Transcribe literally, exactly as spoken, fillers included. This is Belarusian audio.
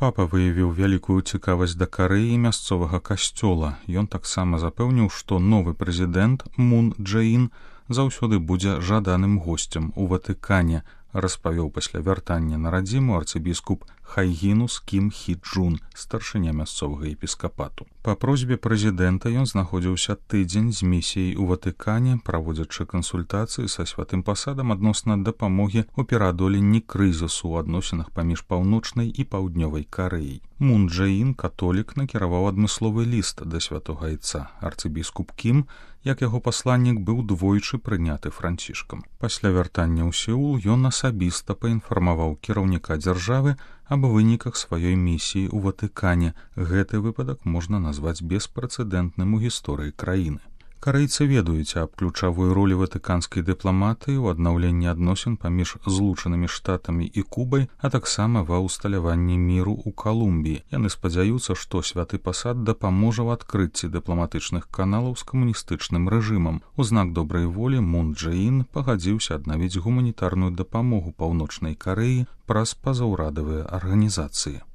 Папа выявіў вялікую цікавасць да Карэі мясцовага касцёла. Ён таксама запэўніў, што новы прэзідэнт Мун Дже-ін заўсёды будзе жаданым госцем у Ватыкане, распавёў пасля вяртання на радзіму арцыбіскуп Хайгінус Кім Хі Джун, старшыня мясцовага епіскапату. Па просьбе прэзідэнта ён знаходзіўся тыдзень з місіяй у Ватыкане, праводзячы кансультацыі са святым пасадам адносна дапамогі ў пераадоленні крызісу ў адносінах паміж паўночнай і паўднёвай Карэяй. Мун Дже-ін, католік, накіраваў адмысловы ліст да святога айца. Арцыбіскуп Кім, як яго пасланнік, быў двойчы прыняты францішкам. Пасля вяртання ў Сеул ён асабіста паінфармаваў кіраўніка дзяржавы аб выніках сваёй місіі ў Ватыкане. Гэты выпадак можна назваць беспрэцэдэнтным у гісторыі краіны. Карэйцы ведаюць аб ключавой ролі ватыканскай дыпламатыі ў аднаўленні адносін паміж Злучанымі Штатамі і Кубай, а таксама ва ўсталяванні міру ў Калумбіі. Яны спадзяюцца, што святы пасад дапаможа ў адкрыцці дыпламатычных каналаў з камуністычным рэжымам. У знак добрай волі Мун Дже-ін пагадзіўся аднавіць гуманітарную дапамогу паўночнай Карэі праз пазаўрадавыя арганізацыі.